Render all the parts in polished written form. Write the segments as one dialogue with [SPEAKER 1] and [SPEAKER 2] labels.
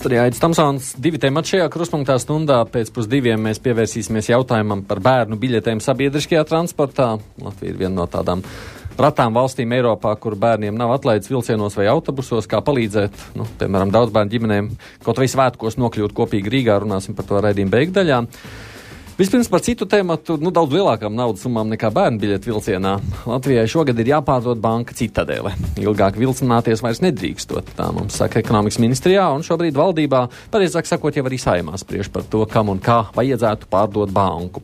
[SPEAKER 1] Studijā Aidis Tamsons, 2 temati šajā kruspunktā stundā. Pēc 2:30 mēs pievērsīsimies jautājumam par bērnu biļetēm sabiedriskajā transportā. Latvija ir viena no tādām ratām valstīm Eiropā, kur bērniem nav atlaides vilcienos vai autobusos, kā palīdzēt, piemēram, daudz bērnu ģimenēm kaut vai svētkos nokļūt kopīgi Rīgā. Runāsim par to raidījumu beigdaļā. Vispirms par citu tēmatu, daudz lielākām naudas summām nekā bērnu biļetu vilcienā. Latvijai šogad ir jāpārdod banka Citadele. Ilgāk vilcināties vairs nedrīkstot, tā mums saka ekonomikas ministrijā, un šobrīd valdībā, pareizāk sakot, jau arī Saeimā spriež par to, kam un kā vajadzētu pārdot banku.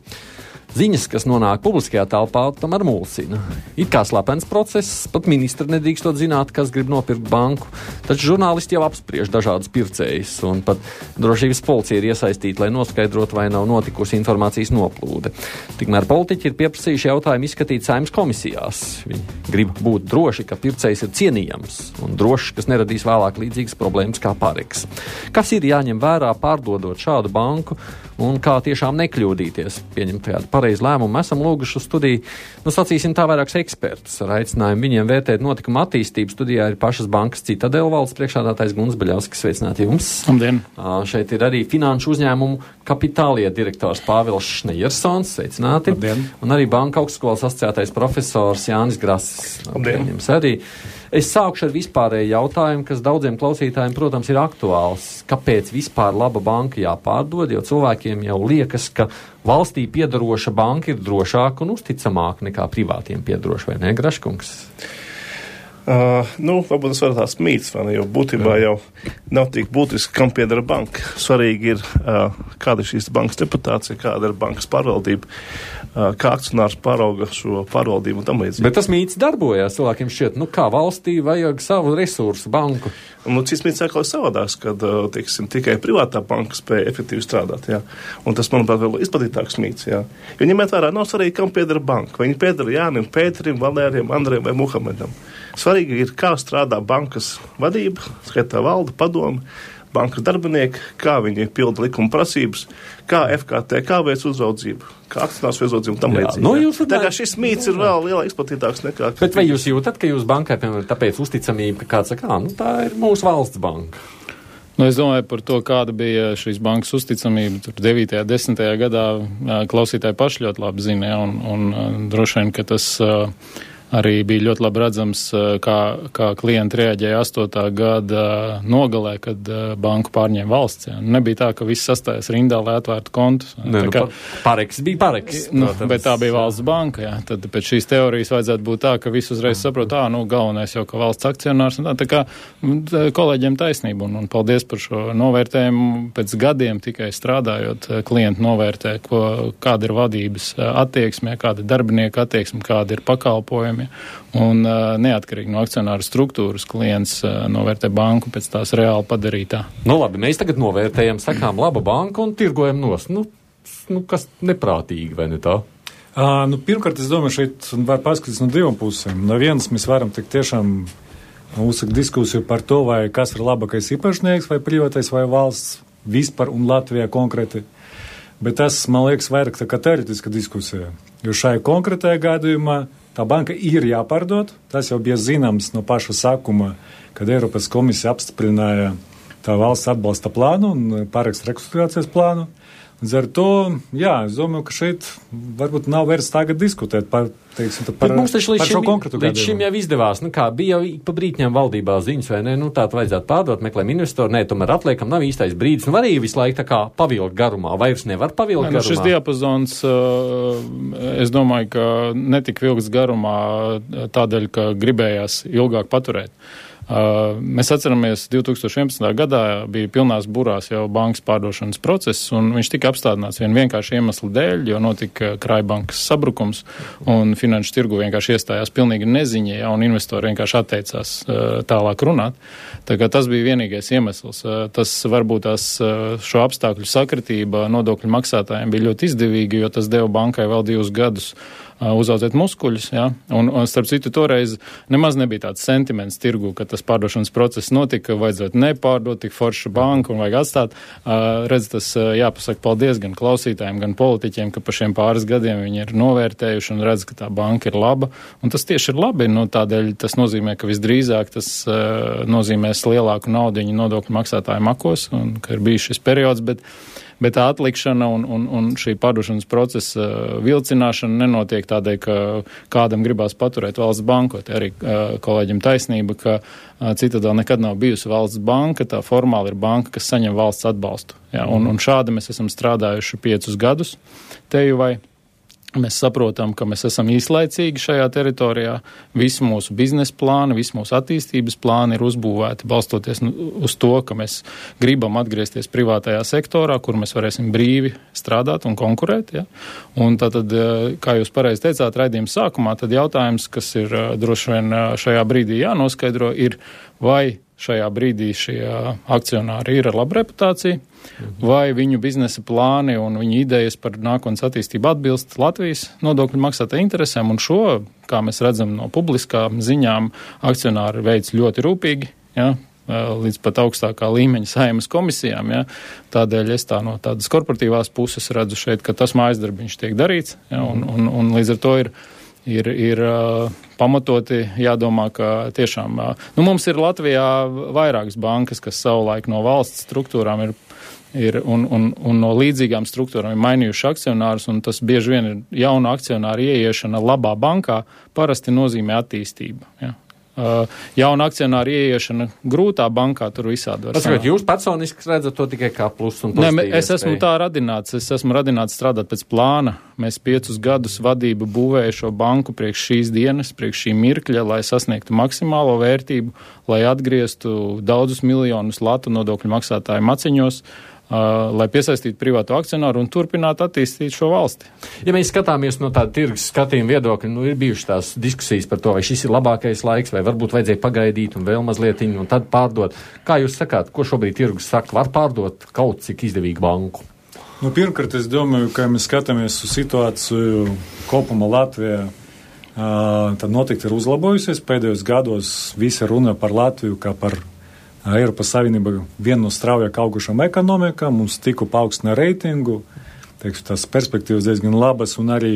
[SPEAKER 1] Ziņas, kas nonāk publiskajā telpā, tomēr mulsina. It kā slepens process, pat ministri nedrīkstot zināt, kas grib nopirkt banku, taču žurnālisti jau apspriež dažādus pircējus, un pat drošības policija ir iesaistīta, lai noskaidrotu, vai nav notikusi informācijas noplūde. Tikmēr politiķi ir pieprasījuši jautājumu izskatīt Saeimas komisijās. Viņi grib būt droši, ka pircējs ir cienījams, un drošs, kas neradīs vēlāk līdzīgas problēmas kā Pareks. Kas ir jāņem vērā pārdodot šādu banku, un kā tiešām nekļūdīties, pieņemt kādu pareizu lēmumu? Esam lūguši uz studiju, sacīsim tā, vairākus ekspertus ar aicinājumu viņiem vērtēt notikumu attīstību. Studijā ir pašas bankas Citadele valdes priekšsēdētājs Gunts Beļavskis. Sveicināti jums!
[SPEAKER 2] Labdien!
[SPEAKER 1] Šeit ir arī finanšu uzņēmumu Kapitālie direktors Pāvils Šnejersons. Sveicināti!
[SPEAKER 2] Labdien!
[SPEAKER 1] Un arī Banka augstskolas asociētais profesors Jānis Grasis.
[SPEAKER 2] Labdien!
[SPEAKER 1] Jums arī. Es sākšu ar vispārēju jautājumu, kas daudziem klausītājiem, protams, ir aktuāls. Kāpēc vispār laba banka jāpārdod, jo cilvēkiem jau liekas, ka valstī piedaroša banka ir drošāka un uzticamāka nekā privātiem piedaroša, vai ne, Graškungs?
[SPEAKER 3] Varbūt tas var tās mīts, vai ne, jo būtībā jau nav tik būtiski, kam piedara banka. Svarīgi ir, kāda ir šīs bankas reputācija, kāda ir bankas pārvaldība, kā akcionārs pārauga šo pārvaldību un tam līdzīgi.
[SPEAKER 1] Bet tas mīts darbojās, cilvēkiem šķiet, kā valstī vajag savu resursu banku.
[SPEAKER 3] Cits mīts atkal ir savādāks, kad, tikai privātā banka spēja efektīvi strādāt, jā. Un tas, manuprāt, vēl izplatītāks mīts, jā. Jo ņemiet vērā, nav svarīgi, kam piedara banka. Vai viņi piedara Jānim, Pēterim, Valērijam, Andrejam vai Muhamedam. Svarīgi ir, kā strādā bankas vadība, skaitā valde, padome, bankas darbinieki, kā viņi pilda likuma prasības, kā FKT, veic uzraudzību, kā akcionārs veic uzraudzību un tam līdzīgi. Tā kā šis mīts ir vēl lielāk izplatītāks nekā...
[SPEAKER 1] Bet vai jūs jūtat, ka jūs bankai, piemēram, tāpēc uzticamība, ka kāds saka, tā ir mūsu valsts banka?
[SPEAKER 2] Es domāju par to, kāda bija šīs bankas uzticamība. Tur 9. un 10. gadā klausītāji paši ļoti labi zina, un droši vien, ka tas... Arī bija ļoti labi redzams, kā klienti reaģēja 8. gada nogalē, kad banku pārņēma valsts. Jā. Nebija tā, ka viss sastājas rindā, lai atvērtu kontus.
[SPEAKER 1] Pareks bija Pareks.
[SPEAKER 2] Bet tā bija valsts banka. Jā. Tad pēc šīs teorijas vajadzētu būt tā, ka viss uzreiz saprot, galvenais jau, ka valsts akcionārs. Tā kā kolēģiem taisnība. Un paldies par šo novērtējumu. Pēc gadiem tikai strādājot, klienti novērtē, kāda ir vadības attieksme, kāda ir darbinieka attieksme, kāda ir pakalpojumi. Un neatkarīgi no akcionāru struktūras klients novērtē banku pēc tās reāli padarītā.
[SPEAKER 1] Labi, mēs tagad novērtējam, sakām, laba banka un tirgojam nos. Kas neprātīgi, vai ne tā?
[SPEAKER 4] Pirmkārt, es domāju, šeit var paskatīties no divām pusēm. No vienas mēs varam tik tiešām uzsākt diskusiju par to, vai kas ir labākais īpašnieks, vai privātais, vai valsts vispār un Latvijā konkrēti. Bet tas, man liekas, vairāk tā kā teoretiska diskusija. Jo šai konkrētajā gadījumā tā banka ir jāpārdod. Tas jau bija zināms no paša sākuma, kad Eiropas komisija apstiprināja tā valsts atbalsta plānu un Pareks rekonstrukcijas plānu. Līdz ar to, es domāju, ka šeit varbūt nav vērts tagad diskutēt par šo konkrētu gadījumu.
[SPEAKER 1] Līdz šim jau izdevās. Bija jau pa brītņām valdībā ziņas, vai ne? Tātad vajadzētu pārdot, meklējam investoru. Tomēr atliekam, nav īstais brīdis. Var arī visu laiku tā kā pavilkt garumā. Vairs nevar pavilkt garumā.
[SPEAKER 2] Šis diapazons, es domāju, ka netika vilkts garumā tādēļ, ka gribējās ilgāk paturēt. Mēs atceramies, 2011. gadā bija pilnās burās jau bankas pārdošanas process, un viņš tika apstādināts vienkārši iemeslu dēļ, jo notika krājbankas sabrukums, un finanšu tirgu vienkārši iestājās pilnīgi neziņa, un investori vienkārši atteicās tālāk runāt. Tā kā tas bija vienīgais iemesls. Tas varbūt šo apstākļu sakritība nodokļu maksātājiem bija ļoti izdevīgi, jo tas deva bankai vēl 2 gadus uzaudzēt muskuļus, ja, un starp citu toreiz nemaz nebija tāds sentiments tirgu, ka tas pārdošanas process notika, vajadzētu nepārdot tik foršu banku un vajag atstāt. Redz, tas jāpasaka paldies gan klausītājiem, gan politiķiem, ka pa šiem pāris gadiem viņi ir novērtējuši un redz, ka tā banka ir laba, un tas tieši ir labi, nu tādēļ tas nozīmē, ka visdrīzāk tas nozīmēs lielāku naudiņu nodokļu maksātāju makos, un ka ir bijis šis periods, bet tā atlikšana un šī pārdošanas procesa vilcināšana nenotiek tādēļ, ka kādam gribās paturēt valsts banku. Te arī kolēģim taisnība, ka Citadela nekad nav bijusi valsts banka, tā formāli ir banka, kas saņem valsts atbalstu. Ja, un šādi mēs esam strādājuši 5 gadus Tejuvai. Mēs saprotam, ka mēs esam īslaicīgi šajā teritorijā. Visi mūsu biznesa plāni, visi mūsu attīstības plāni ir uzbūvēti balstoties uz to, ka mēs gribam atgriezties privātajā sektorā, kur mēs varēsim brīvi strādāt un konkurēt. Ja? Un tātad, kā jūs pareizi teicāt raidījuma sākumā, tad jautājums, kas ir droši vien šajā brīdī jānoskaidro, ir, vai šajā brīdī šie akcionāri ir ar labu reputāciju, vai viņu biznesa plāni un viņu idejas par nākotnes attīstību atbilst Latvijas nodokļu maksātāju interesēm, un šo, kā mēs redzam no publiskām ziņām, akcionāri veids ļoti rūpīgi, ja, līdz pat augstākā līmeņa Saeimas komisijām. Ja. Tādēļ es tā no tādas korporatīvās puses redzu šeit, ka tas mājasdarbiņš tiek darīts, ja, un līdz ar to ir pamatoti jādomā, ka tiešām, mums ir Latvijā vairākas bankas, kas savulaik no valsts struktūrām ir un no līdzīgām struktūrām ir mainījuši akcionārus, un tas bieži vien ir jauna akcionāra ieiešana labā bankā, parasti nozīmē attīstību. Ja. Jauna akcionāra ieiešana grūtā bankā, tur visādi var sanākt.
[SPEAKER 1] Jūs personiski redzat to tikai kā plus un pozitīvi?
[SPEAKER 2] Nē, es esmu tā radināts. Es esmu radināts strādāt pēc plāna. Mēs 5 gadus vadību būvēju šo banku priekš šīs dienas, priekš šī mirkļa, lai sasniegtu maksimālo vērtību, lai atgrieztu daudzus miljonus latu nodokļu maksātāju maciņos, lai piesaistītu privātu akcionāru un turpinātu attīstīt šo valsti.
[SPEAKER 1] Ja mēs skatāmies no tāda tirgus skatījuma viedokļa, ir bijušas tās diskusijas par to, vai šis ir labākais laiks, vai varbūt vajadzēja pagaidīt un vēl mazlietiņu un tad pārdot. Kā jūs sakāt, ko šobrīd tirgus saka? Var pārdot kaut cik izdevīgu banku?
[SPEAKER 4] Pirmkārt, es domāju, ka mēs skatāmies uz situāciju kopumā Latvijā. Tad noteikti ir uzlabojusies. Pēdējos gados visi runa par Latviju kā par Eiropas Savienība viena no straujāk augušām ekonomikām, mums tikko paaugstina reitingu, tās perspektīvas diezgan labas, un arī,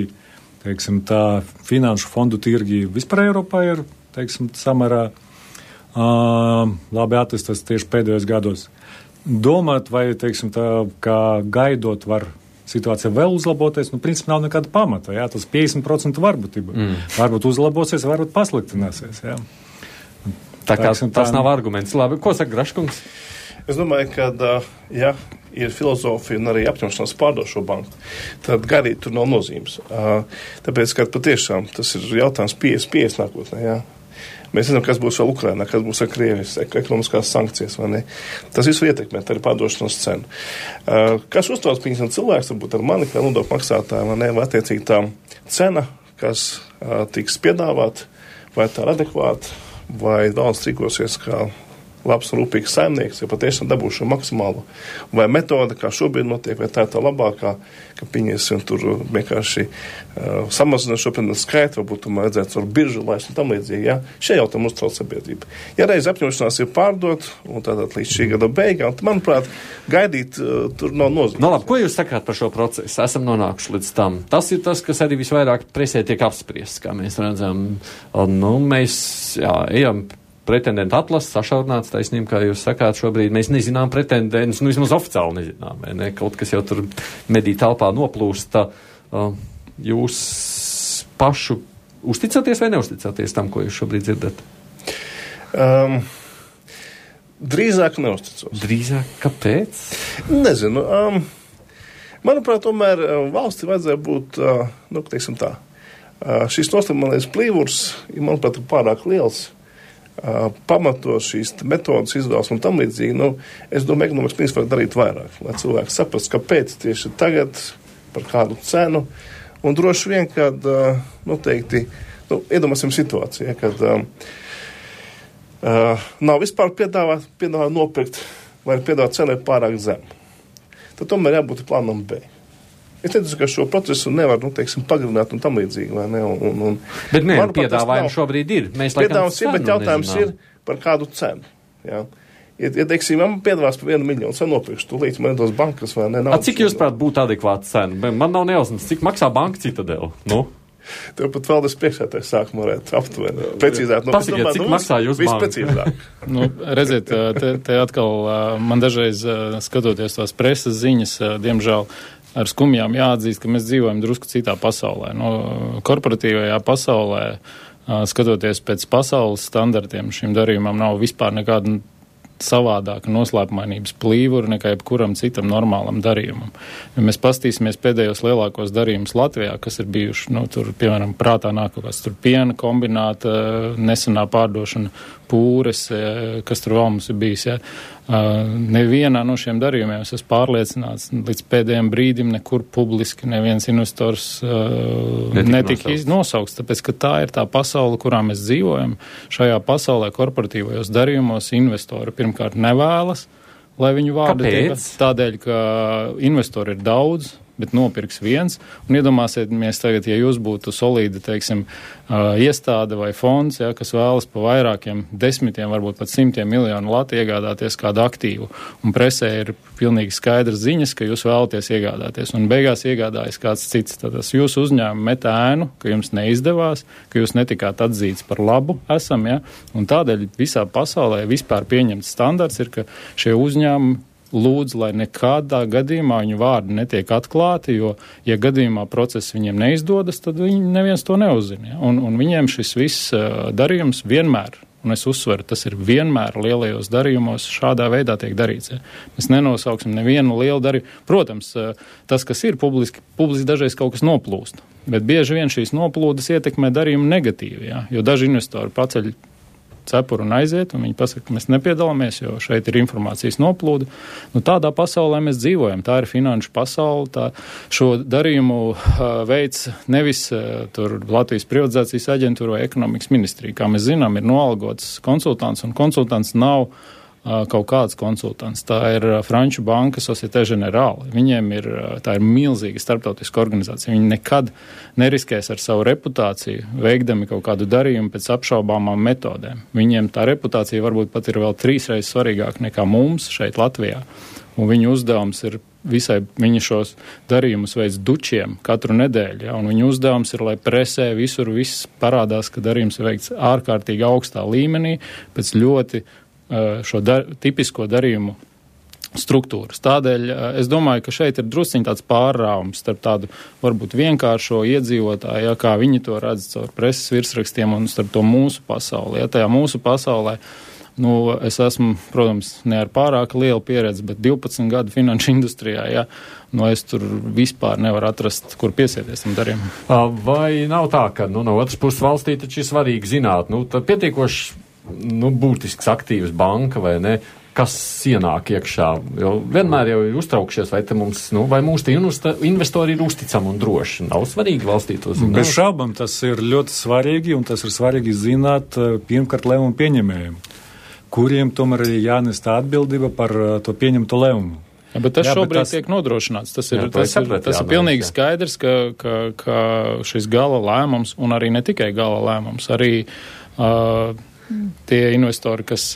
[SPEAKER 4] tā finanšu fondu tirgi vispār Eiropā ir, samērā labi attīstās tieši pēdējos gados. Domāt, vai, tā, kā gaidot var situācija vēl uzlaboties, principā nav nekāda pamata, jā, tas 50% varbūtība. Varbūt uzlabosies, varbūt pasliktināsies, jā.
[SPEAKER 1] Tā kā tas nav arguments. Labi, ko saka Graškungs?
[SPEAKER 3] Es domāju, ka, ja ir filozofija un arī apņemšanās pārdot šo banku, tad gaidīt tur nav nozīmes. Tāpēc, ka patiešām tas ir jautājums 50 nākotnē, jā. Mēs zinām, kas būs vēl Ukrainā, kas būs ar Krievijas ekonomiskās sankcijas, vai ne? Tas visu ietekmēt arī pārdošanas cenu. Kas uztrauc cilvēks, varbūt ar mani, kā nodokļu maksātāju, vai ne, vai attiecīgi tā cena, kas tiks piedāvāt, vai tā ir adekvāta, vai valsts rīkosies kā labs un rūpīgs saimnieks, ja patiešām dabūšu maksimālu, vai metode, kā šobrīd notiek, vai tā ir tā labākā, ka pieņemsim tur vienkārši samazināt šo skaitu, varbūt tomēr vajadzētu ar biržu laist un tam līdzīgi, ja? Šie jautājumi uztrauc sabiedrību. Ja reiz apņemšanās ir pārdot, un tātad līdz šī gada beigām, tad, manuprāt, gaidīt tur nav nozīmes.
[SPEAKER 1] No labi, ko jūs sakāt par šo procesu? Esam nonākuši līdz tam. Tas ir tas, kas arī visvairāk presē tiek apspriests, kā mēs redzam. Mēs ejam pretendentu atlases, sašaurināts taisnība, kā jūs sakāt šobrīd. Mēs nezinām pretendentus, vismaz oficiāli nezinām. Ne? Kaut kas jau tur mediju telpā noplūst. Jūs pašu uzticaties vai neusticaties tam, ko jūs šobrīd dzirdat?
[SPEAKER 3] Drīzāk neusticos.
[SPEAKER 1] Drīzāk? Kāpēc?
[SPEAKER 3] Nezinu. Manuprāt, tomēr valsti vajadzēja būt, teiksim tā, šis nostāmālais plīvurs, manuprāt, ir pārāk liels. Pamatot šīs metodas izvēles un tam līdzīgi, es domāju, ekonomikas ministrs var darīt vairāk, lai cilvēki saprast, kāpēc tieši tagad, par kādu cenu, un droši vien, kad noteikti, iedomāsim situāciju, kad nav vispār piedāvāt nopirkt, vai piedāvāt cenu pārāk zemu. Tad tomēr jābūt plānam B. Es teicu, ka šo procesu nevar, pagarināt un tam līdzīgi, vai ne?
[SPEAKER 1] Bet piedāvājumi šobrīd ir.
[SPEAKER 3] Piedāvājums ir, bet jautājums ir par kādu cenu, jā. Ja teiksim, man piedāvās par 1 miljonu, cenu nopirkšu, tūlīt man dos bankas, vai ne?
[SPEAKER 1] Cik jūs prāt būtu adekvāta cena? Man nav nejausmas, cik maksā banka Citadela?
[SPEAKER 3] Tev pat vēl priekšētais sākumu varētu aptuveni. Precīzāk.
[SPEAKER 1] Pasakiet, cik maksā jūs banka?
[SPEAKER 3] Visprecīzāk.
[SPEAKER 2] Redziet, te atkal man dažreiz skatoties tās preses ziņas, diemžēl ar skumjām jāatzīst, ka mēs dzīvojam drusku citā pasaulē. Korporatīvajā pasaulē, skatoties pēc pasaules standartiem, šim darījumam nav vispār nekāda savādāka noslēpumainības plīvura nekā jebkuram citam normālam darījumam. Ja mēs pastīsimies pēdējos lielākos darījumus Latvijā, kas ir bijuši, tur, piemēram, prātā nāk kaut kāds tur piena kombināta, nesenā pārdošana, pūres, kas tur vēl mums ir bijis, ja. Nevienā no šiem darījumiem es esmu pārliecināts, līdz pēdējiem brīdim nekur publiski neviens investors netika nosaukts, tāpēc, ka tā ir tā pasaule, kurā mēs dzīvojam. Šajā pasaulē korporatīvajos darījumos investori pirmkārt nevēlas, lai viņu vārdi tiek. Tādēļ, ka investori ir daudz, bet nopirks viens. Un iedomāsimies tagad, ja jūs būtu solīdi, teiksim, iestāde vai fonds, ja, kas vēlas pa vairākiem desmitiem, varbūt pat 100 miljonu lati iegādāties kādu aktīvu. Un presē ir pilnīgi skaidrs ziņas, ka jūs vēlaties iegādāties. Un beigās iegādājas kāds cits. Tad tas jūsu uzņēmumi met ēnu, ka jums neizdevās, ka jūs netikāt atzīts par labu esam, ja. Un tādēļ visā pasaulē vispār pieņemts standarts ir, ka šie uzņēmumi lūdzu, lai nekādā gadījumā viņu vārdi netiek atklāti, jo, ja gadījumā process viņiem neizdodas, tad viņi neviens to neuzzina. Ja? Un viņiem šis viss darījums vienmēr, un es uzsveru, tas ir vienmēr lielajos darījumos šādā veidā tiek darīts. Ja? Mēs nenosauksim nevienu lielu darījumu. Protams, tas, kas ir publiski dažreiz kaut kas noplūst, bet bieži vien šīs noplūdes ietekmē darījumu negatīvi, ja? Jo daži investori paceļ cepuru un aiziet, un viņi pasaka, ka mēs nepiedalāmies, jo šeit ir informācijas noplūde. Tādā pasaulē mēs dzīvojam. Tā ir finanšu pasaule. Šo darījumu veids nevis tur Latvijas privatizācijas aģentūra vai ekonomikas ministrija. Kā mēs zinām, ir noalgots konsultants, un konsultants nav kaut kāds konsultants. Tā ir Franču banka Société Générale. Viņiem tā ir milzīga starptautiska organizācija. Viņi nekad neriskēs ar savu reputāciju, veikdami kaut kādu darījumu pēc apšaubāmām metodēm. Viņiem tā reputācija varbūt pat ir vēl 3 reizes svarīgāka nekā mums šeit Latvijā. Un viņu uzdevums ir viņi šos darījumus veids dučiem katru nedēļu, ja, un viņu uzdevums ir, lai presē visur viss parādās, ka darījums ir veikts ārkārtīgi augstā līmenī, pēc ļoti šo tipisko darījumu struktūras. Tādēļ es domāju, ka šeit ir drusciņ tāds pārrāvums starp tādu varbūt vienkāršo iedzīvotāju, ja, kā viņi to redz caur preses virsrakstiem un starp to mūsu pasauli. Ja, tajā mūsu pasaulē, es esmu, protams, ne ar pārāk lielu pieredzi, bet 12 gadu finanšu industrijā, ja, es tur vispār nevaru atrast, kur piesieties tam darījumam.
[SPEAKER 1] Vai nav tā, ka, no otras puses valstī taču ir svarīgi zināt, tad pietiekoši būtisks aktīvs banka vai ne, kas ienāk iekšā, jo vienmēr jau ir uztraukšies, vai mums, vai mūsu investori ir uzticami un droši. Nav svarīgi valstī to zināt.
[SPEAKER 4] Bez šaubām tas ir ļoti svarīgi, un tas ir svarīgi zināt pirmkārt lēmumu pieņemējiem, kuriem tomēr ir jānest atbildība par to pieņemto lēmumu.
[SPEAKER 2] Ja, bet tas šobrīd tiek nodrošināts. Tas ir pilnīgi skaidrs, ka šis gala lēmums, un arī ne tikai gala lēmums, arī tie investori, kas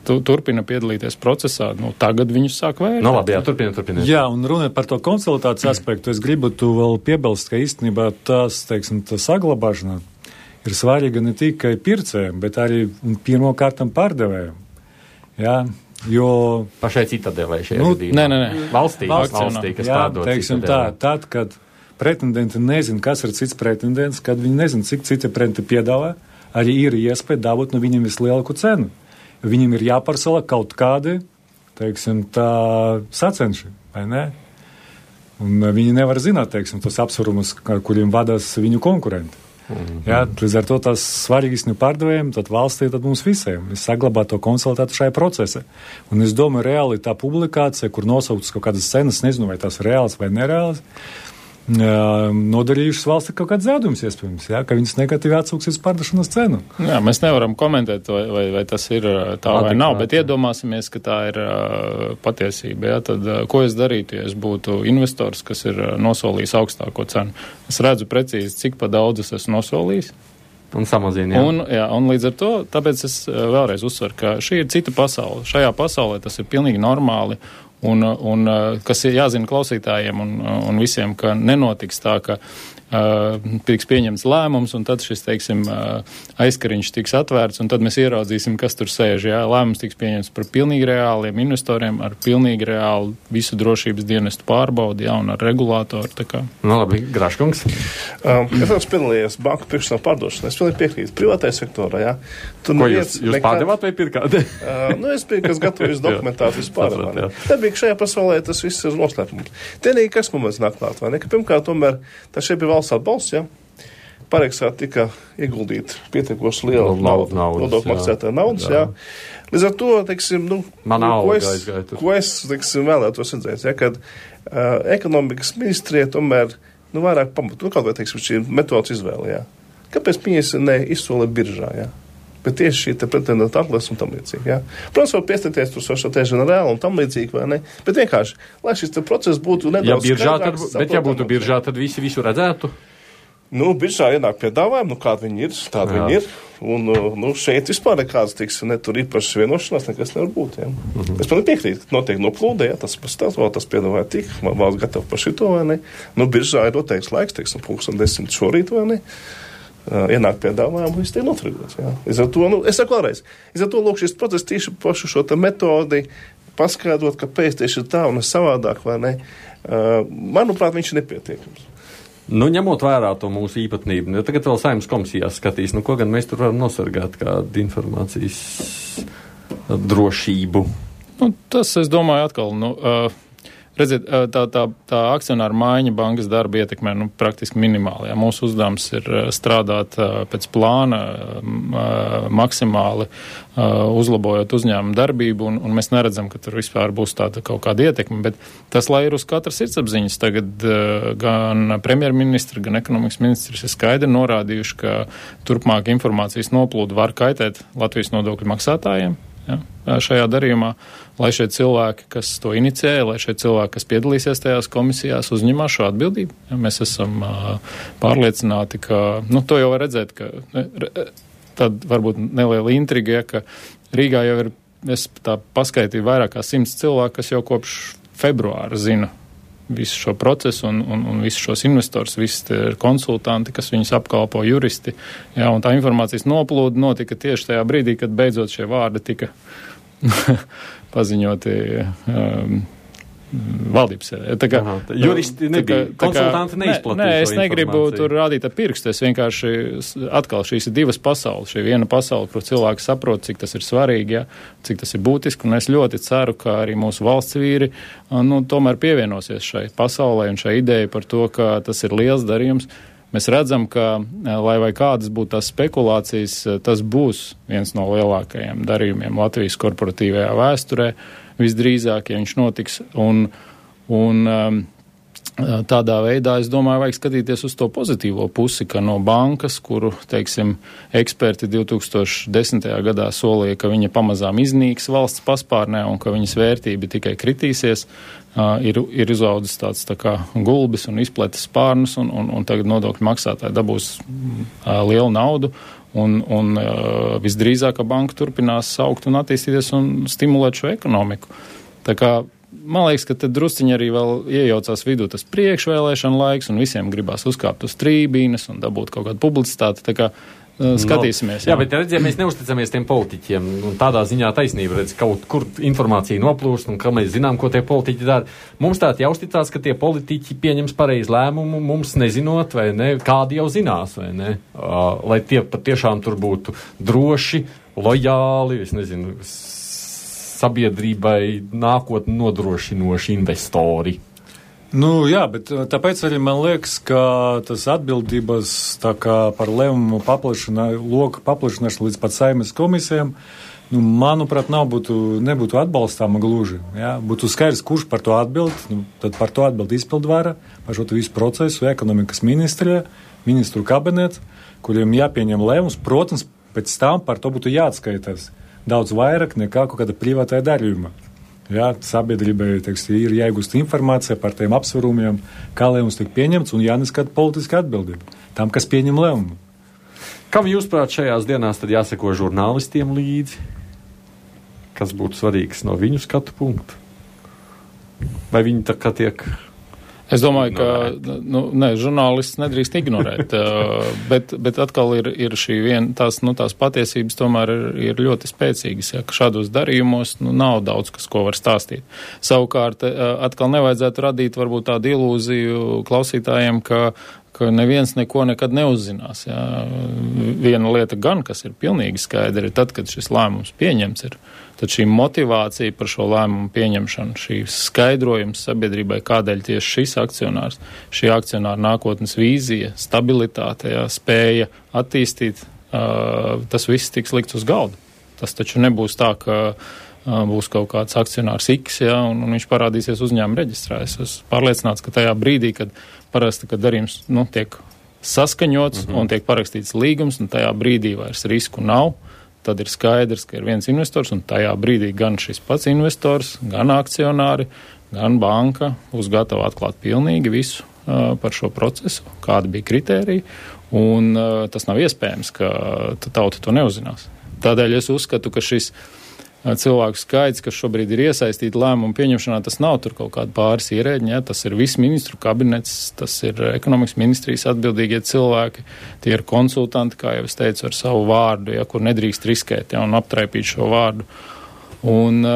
[SPEAKER 2] turpina piedalīties procesā, tagad viņus sāk vērtēt.
[SPEAKER 1] Labi, turpiniet.
[SPEAKER 4] Jā, un runājot par to konsultācijas aspektu, es gribu tu vēl piebilst, ka īstenībā tā saglabāšana ir svarīga ne tikai pircējiem, bet arī pirmkārtam pārdevējiem. Jā, jo
[SPEAKER 1] pašai Citadelē šajā gadījumā.
[SPEAKER 2] Nē.
[SPEAKER 1] Valstī, kas pārdod Citadelē.
[SPEAKER 4] Tad, kad pretendenti nezin, kas ir cits pretendents, kad viņi nezin, cik citi pretendenti piedāvā, arī ir iespēja dabūt no viņiem vislielāku cenu. Viņiem ir jāparsala kaut kādi, sacenši, vai ne? Un viņi nevar zināt, tos apsvarumus, kuriem vadās viņu konkurenti. Jā, līdz ar to tas svarīgākais pārdevējiem, tad valstī, tad mums visiem. Es saglabāju to konsultātu šajā procesā. Un es domāju, reāli tā publikācija, kur nosauktas kaut kādas cenas, nezinu, vai tās ir reāls vai nereāls, nodarījušas valsts kaut kāds zaudums iespējams, jā, ka viņas negatīvi atsūksies pārdošanas cenu.
[SPEAKER 2] Jā, mēs nevaram komentēt, vai tas ir tā vai nav, bet iedomāsimies, ka tā ir patiesība. Jā, tad ko es darītu, ja es būtu investors, kas ir nosolījis augstāko cenu? Es redzu precīzi, cik pa daudz es esmu nosolījis.
[SPEAKER 1] Un samazina,
[SPEAKER 2] jā. Un līdz ar to, tāpēc es vēlreiz uzsveru, ka šī ir cita pasaule. Šajā pasaulē tas ir pilnīgi normāli. Un kas ir jāzina klausītājiem un visiem, ka nenotiks tā, ka tiks pieņemts lēmums, un tad šis, teiksim, aizkariņš tiks atvērts, un tad mēs ieraudzīsim, kas tur sēž. Jā, lēmums tiks pieņemts par pilnīgi reāliem investoriem, ar pilnīgi reālu visu drošības dienestu pārbaudi, jā, un ar regulātoru. Tā kā.
[SPEAKER 1] Labi, Graškungs.
[SPEAKER 3] Es esmu piedalījies banku pirkšanā pārdošanā. Es pilnīgi piekrītu privātajā sektorā, jā.
[SPEAKER 1] Ko jūs pārdevāt vai pirkāt?
[SPEAKER 3] Es biju, kas gatavojas dokumentātu vispār. Nebija, ka šajā pasaulē tas viss ir noslēpums. Tienīgi, kas mums nāk klāt, vai ne? Ka pirmkārt, tomēr, tā šeit bija valsts atbalsts, jā. Pareiksā tika ieguldīt pietiekoši liela nodokļu maksātāja naudas, jā. Līdz ar to, teiksim, ko es teiksim, vēlētos redzēt, ja, kad ekonomikas ministrija tomēr, vairāk pamatu, kaut vai, teiksim, šī metodas izvēle, jā. Kāpēc viņas neizsola biržā, jā? Bet tieši šī te pretendenta atlases un tam līdzīgi, jā. Protams, var piestāties tur Société Générale un tam līdzīgi, vai ne? Bet vienkārši, lai šis te process būtu nedaudz skaidrāks.
[SPEAKER 1] Bet ja būtu biržā, tad visi visu redzētu?
[SPEAKER 3] Biržā ienāk piedāvājumi, kādi viņi ir, tādi viņi ir. Un, šeit vispār nekāds, ne tur īpašas vienošanās, nekas nevar būt, jā. Es man piekrītu, ka noteikti noplūdē, jā, tas piedāvāja tik, valsts gatava par šito, vai ne? Biržā ir noteikts laiks, teiksim, 10:00 šorīt, vai ne? Ienāk piedāvājumu, viss tiek noturēts. Līdz ar to, es saku vēlreiz, līdz ar to, lūk, šis process tieši pašu šo te metodi paskaidrot, kāpēc tieši ir tā un savādāk, vai ne, manuprāt, viņš ir nepietiekams.
[SPEAKER 1] Ņemot vērā to mūsu īpatnību, tagad vēl Saeimas komisijās skatīs, ko gan mēs tur varam nosargāt kādu informācijas drošību.
[SPEAKER 2] Tas, es domāju, atkal, redziet, tā akcionāra maiņa bankas darba ietekmē praktiski minimāli. Jā. Mūsu uzdevums ir strādāt pēc plāna, maksimāli uzlabojot uzņēmumu darbību, un mēs neredzam, ka tur vispār būs tāda kaut kāda ietekme, bet tas, lai ir uz katras sirdsapziņas, tagad gan premjerministri, gan ekonomikas ministrs ir skaidri norādījuši, ka turpmāk informācijas noplūdu var kaitēt Latvijas nodokļu maksātājiem. Ja, šajā darījumā, lai šie cilvēki, kas to inicēja, lai šie cilvēki, kas piedalīsies tajās komisijās, uzņemās šo atbildību. Ja, mēs esam pārliecināti, ka, to jau var redzēt, ka tad varbūt neliela intriga, ja, ka Rīgā jau ir, es tā paskaitīju vairāk kā 100 cilvēku, kas jau kopš februāra zina visu šo procesu un visus šos investors, visi konsultanti, kas viņus apkalpo, juristi. Jā, un tā informācijas noplūda notika tieši tajā brīdī, kad beidzot šie vārdi tika paziņoti valdības.
[SPEAKER 1] Juristi nebija, konsultanti neizplatīja.
[SPEAKER 2] Es negribu tur rādīt ar pirkstu, es vienkārši atkal šīs ir divas pasaules. Šī viena pasaule, kur cilvēki saprot, cik tas ir svarīgi, ja, cik tas ir būtiski, un es ļoti ceru, ka arī mūsu valsts vīri tomēr pievienosies šai pasaulē un šai ideja par to, ka tas ir liels darījums. Mēs redzam, ka, lai vai kādas būtu tās spekulācijas, tas būs viens no lielākajiem darījumiem Latvijas korporatīvajā vēsturē, visdrīzāk, ja viņš notiks, un tādā veidā, es domāju, vajag skatīties uz to pozitīvo pusi, ka no bankas, kuru, teiksim, eksperti 2010. Gadā solīja, ka viņa pamazām iznīks valsts paspārnē un ka viņas vērtība tikai kritīsies, ir izaudzis tāds tā kā gulbis un izpletis spārnus, un tagad nodokļu maksātāji dabūs lielu naudu, un visdrīzāk, ka banka turpinās augt un attīstīties un stimulēt šo ekonomiku. Tā kā man liekas, ka te drusciņi arī vēl iejaucās vidū tas priekšvēlēšana laiks, un visiem gribās uzkāpt uz trībīnes un dabūt kaut kādu publicitāti. Tā kā skatīsimies.
[SPEAKER 1] Jā, bet redziet, mēs neusticamies tiem politiķiem, un tādā ziņā taisnība, redz, kaut kur informācija noplūst, un ka mēs zinām, ko tie politiķi dara. Mums tā jāuzticās, ka tie politiķi pieņems pareizu lēmumu, mums nezinot, vai ne, kādi jau zinās, vai ne, lai tie patiešām tur būtu droši, lojāli, es nezinu, sabiedrībai nākotni nodrošinoši investori.
[SPEAKER 4] Jā, bet tāpēc arī man liekas, ka tas atbildības tā kā par lēmumu loka paplašināšanu līdz pat Saeimas komisijām manuprāt, nebūtu atbalstāma gluži. Ja? Būtu skaidrs, kurš par to atbild, tad par to atbild izpildvara, par šo visu procesu, ekonomikas ministrija, ministru kabinets, kuriem jāpieņem lēmums. Protams, pēc tam par to būtu jāatskaitās daudz vairāk nekā kaut kāda privātā darījuma. Ja? Sabiedrībai, ir jāiegūst informācija par tiem apsvarumiem, kā lēmums tiek pieņemts un jāneskata politiska atbildība tam, kas pieņem lēmumu.
[SPEAKER 1] Kam jūs prāt šajās dienās tad jāseko žurnālistiem līdzi? Kas būtu svarīgs no viņu skatu punktu? Vai viņi tā kā tiek...
[SPEAKER 2] Es domāju, ka žurnālists nedrīkst ignorēt, bet atkal ir šī tās patiesības tomēr ir ļoti spēcīgas, ja, ka šādos darījumos nav daudz, ko var stāstīt. Savukārt, atkal nevajadzētu radīt varbūt tādu ilūziju klausītājiem, ka neviens neko nekad neuzzinās. Ja. Viena lieta gan, kas ir pilnīgi skaidra, ir tad, kad šis lēmums pieņemts ir, tad šī motivācija par šo lēmumu pieņemšanu, šīs skaidrojums sabiedrībai, kādēļ tieši šis akcionārs, šī akcionāra nākotnes vīzija, stabilitāte, ja, spēja attīstīt, tas viss tiks likts uz galda. Tas taču nebūs tā, ka būs kaut kāds akcionārs X, ja, un viņš parādīsies uzņēmuma reģistrā. Es esmu pārliecināts, ka tajā brīdī, kad parasti, kad darījums tiek saskaņots un tiek parakstīts līgums, un tajā brīdī vairs risku nav, tad ir skaidrs, ka ir viens investors, un tajā brīdī gan šis pats investors, gan akcionāri, gan banka būs gatava atklāt pilnīgi visu par šo procesu, kāda bija kritērija, un tas nav iespējams, ka tauta to neuzzinās. Tādēļ es uzskatu, ka šis cilvēku skaits, kas šobrīd ir iesaistīti lēmumu pieņemšanā, tas nav tur kaut kāda pāris ierēģiņa, ja? Tas ir viss ministru kabinets, tas ir ekonomikas ministrijas atbildīgie cilvēki, tie ir konsultanti, kā jau es teicu, ar savu vārdu, ja, kur nedrīkst riskēt, ja, un aptraipīt šo vārdu. Un,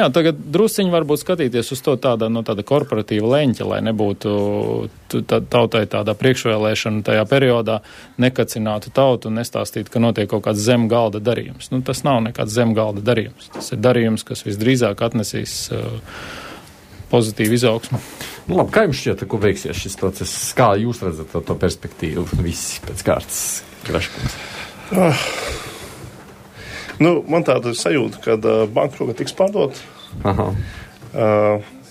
[SPEAKER 2] tagad drusciņi varbūt skatīties uz to tāda korporatīva leņķa, lai nebūtu tautai tādā priekšvēlēšana tajā periodā, nekacinātu tautu un nestāstītu, ka notiek kaut kāds zem galda darījums. Tas nav nekāds zem galda darījums. Tas ir darījums, kas visdrīzāk atnesīs pozitīvu izaugsmu.
[SPEAKER 1] Labi, kā jums šķiet, ko veiksies šis process? Kā jūs redzat to perspektīvu visi pēc kārtas? Graškungs.
[SPEAKER 3] Man tāda sajūta, ka banka šogad tiks pārdot.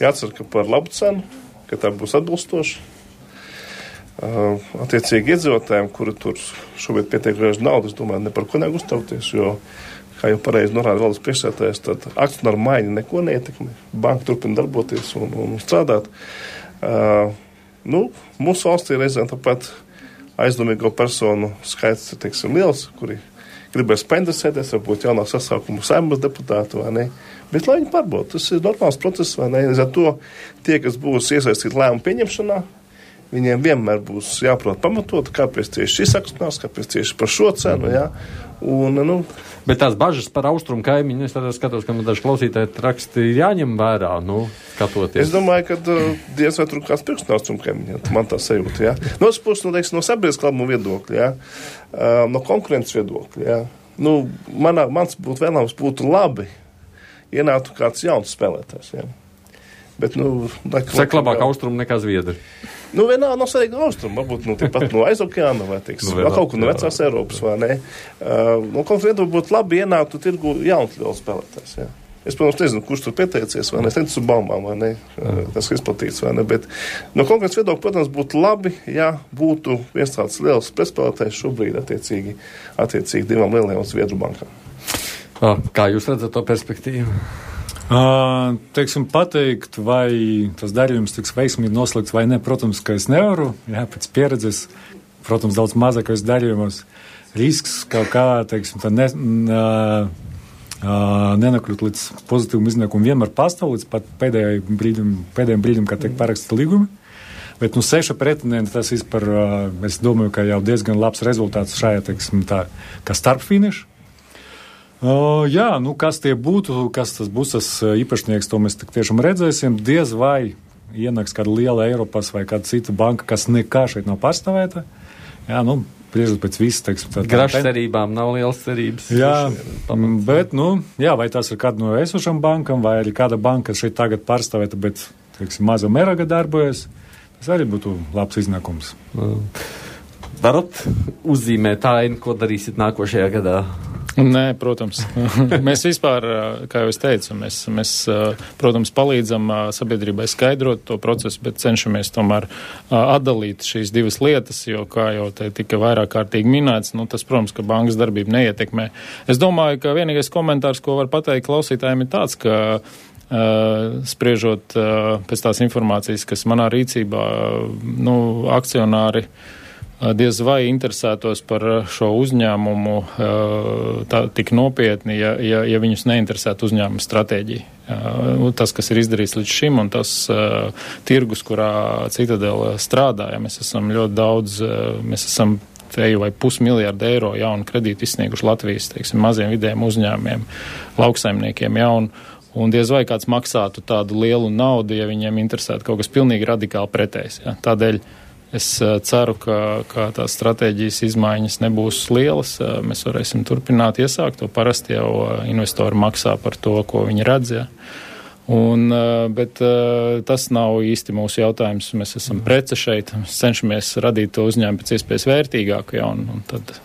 [SPEAKER 3] Jācer, ka par labu cenu, ka tā būs atbilstoša. Attiecīgi iedzīvotājiem, kuri tur šobrīd pietiek griež naudu, es domāju, ne par ko nevajag uztraukties, jo, kā jau pareizi norāda valdes priekšsēdētājs, tad akcionāru maiņa neko neietekmē. Banka turpina darboties un strādāt. Mūsu valstī reizēm tāpat aizdomīgo personu skaits ir, liels, kuri gribēs painteresēties, varbūt jaunāk sasaukumu Saeimas deputātu, vai ne? Bet lai viņi pārbauda, tas ir normāls process, vai ne? Līdz ar to tie, kas būs iesaistīti lēmumu pieņemšanā, viņiem vienmēr būs jāprot pamatot, kāpēc tieši šis akcionārs, kāpēc tieši par šo cenu, jā.
[SPEAKER 1] Bet tās bažas par austrumu kaimiņu, es tādā skatos, ka daži klausītāji raksti jāņem vērā, skatoties. Es
[SPEAKER 3] domāju, ka diez vai tur kāds priekš no austrumu kaimiņa, man tā sajūta, jā. No otras puses, no sabiedriskā labuma viedokļa, jā, no konkurences viedokļa, jā. Mans vēlams būtu labi, ienāktu kāds jauns spēlētājs, jā. Bet,
[SPEAKER 1] Saka labāk austrumu nekā Zviedri.
[SPEAKER 3] Vienā nav svarīga austruma, varbūt tāpat no aiz okeāna vai kaut kur no vecās Eiropas, vai ne. Konkurenti būtu labi ienāktu tirgu jauns liels spēlētājs, jā. Es, protams, nezinu, kurš tur pieteicies, vai ne, es neticu baumām, vai ne, tas ir izplatīts, vai ne, bet no konkurences viedokļa, protams, būtu labi, ja būtu viens tāds liels pretspēlētājs šobrīd attiecīgi divām lielajām Zviedru bankām.
[SPEAKER 1] Kā jūs redzat to perspektīvu?
[SPEAKER 4] Pateikt, vai tas darījums tiks veiksmīgi noslēgts vai ne, protams, ka es nevaru, jā, pēc pieredzes, protams, daudz mazākais darījumos risks kaut kā, nenakļūt līdz pozitīvam iznākumam vienmēr pastāv līdz pat pēdējiem brīdim, kad tiek parakstīti līgumi. Bet 6 pretendenti tas vispār, es domāju, ka jau diezgan labs rezultāts šajā, kā starpfiniša. Kas tie būtu, kas tas būs tas īpašnieks, to mēs tiešām redzēsim. Diez vai ienāks kāda liela Eiropas vai kāda cita banka, kas nekā šeit nav pārstāvēta. Jā, priežot pēc visas,
[SPEAKER 1] Grašas cerībām nav lielas cerības.
[SPEAKER 4] Jā, bet, vai tas ir kāda no esošām bankām, vai arī kāda banka šeit tagad pārstāvēta, bet, maza meraga darbojas, tas arī būtu labs iznākums.
[SPEAKER 1] Varat uzzīmēt ainu, ko darīsit nākošajā gadā?
[SPEAKER 2] Nē, protams. Mēs vispār, kā jau es teicu, mēs protams, palīdzam sabiedrībai skaidrot to procesu, bet cenšamies tomēr atdalīt šīs divas lietas, jo, kā jau te tika vairāk kārtīgi minēts, tas, protams, ka bankas darbība neietekmē. Es domāju, ka vienīgais komentārs, ko var pateikt klausītājiem, ir tāds, ka spriežot pēc tās informācijas, kas manā rīcībā, akcionāri diez vai interesētos par šo uzņēmumu tik nopietni, ja viņus neinteresētu uzņēmuma stratēģija. Tas, kas ir izdarīts līdz šim, un tas tirgus, kurā Citadele strādāja, mēs esam ļoti daudz, mēs esam teju vai $500 miljārdu jaunu kredītu izsnieguši Latvijas, maziem vidējiem uzņēmumiem, lauksaimniekiem jaunu. Un diez vai kāds maksātu tādu lielu naudu, ja viņiem interesētu kaut kas pilnīgi radikāli pretējs. Ja. Tādēļ es ceru, ka tās stratēģijas izmaiņas nebūs lielas. Mēs varēsim turpināt iesākt to. Parasti jau investori maksā par to, ko viņi redz. Ja. Bet tas nav īsti mūsu jautājums. Mēs esam prece šeit. Mēs cenšamies radīt to uzņēmumu pēc iespējas vērtīgāku. Ja, un tad...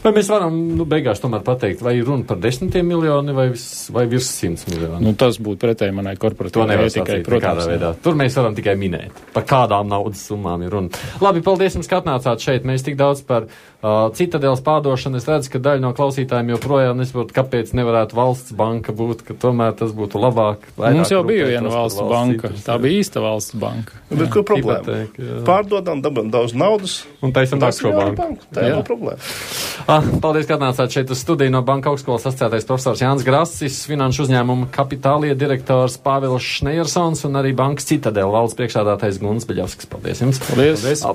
[SPEAKER 1] Vai mēs varam beigās tomēr pateikt, vai runa par 10 miljoni vai virs 100 miljoni?
[SPEAKER 2] Tas būtu pretēji manai korporatīvai ētikai, protams.
[SPEAKER 1] Tur mēs varam tikai minēt, par kādām naudas summām ir runa. Labi, paldies jums, ka atnācāt šeit. Mēs tik daudz par Citadeles pārdošanu. Es redzu, ka daļa no klausītājiem joprojām nesaprot, kāpēc nevarētu valsts banka būt, ka tomēr tas būtu labāk.
[SPEAKER 2] Mums jau bija viena valsts banka. Tā bija īsta valsts banka.
[SPEAKER 3] Bet ko problēma? Pārdodam, dabam daudz naudas.
[SPEAKER 1] Un taisam tā šo banku.
[SPEAKER 3] Tā ir problēma.
[SPEAKER 1] Paldies, ka atnācāt šeit uz studiju no Banka augstskolas asociētais profesors Jānis Grasis, finanšu uzņēmuma Kapitālie direktors Pāvils Šnejersons un arī bankas Citadele valdes priekšsēdētājs Gunts Beļavskis. Paldies jums!
[SPEAKER 2] Paldies!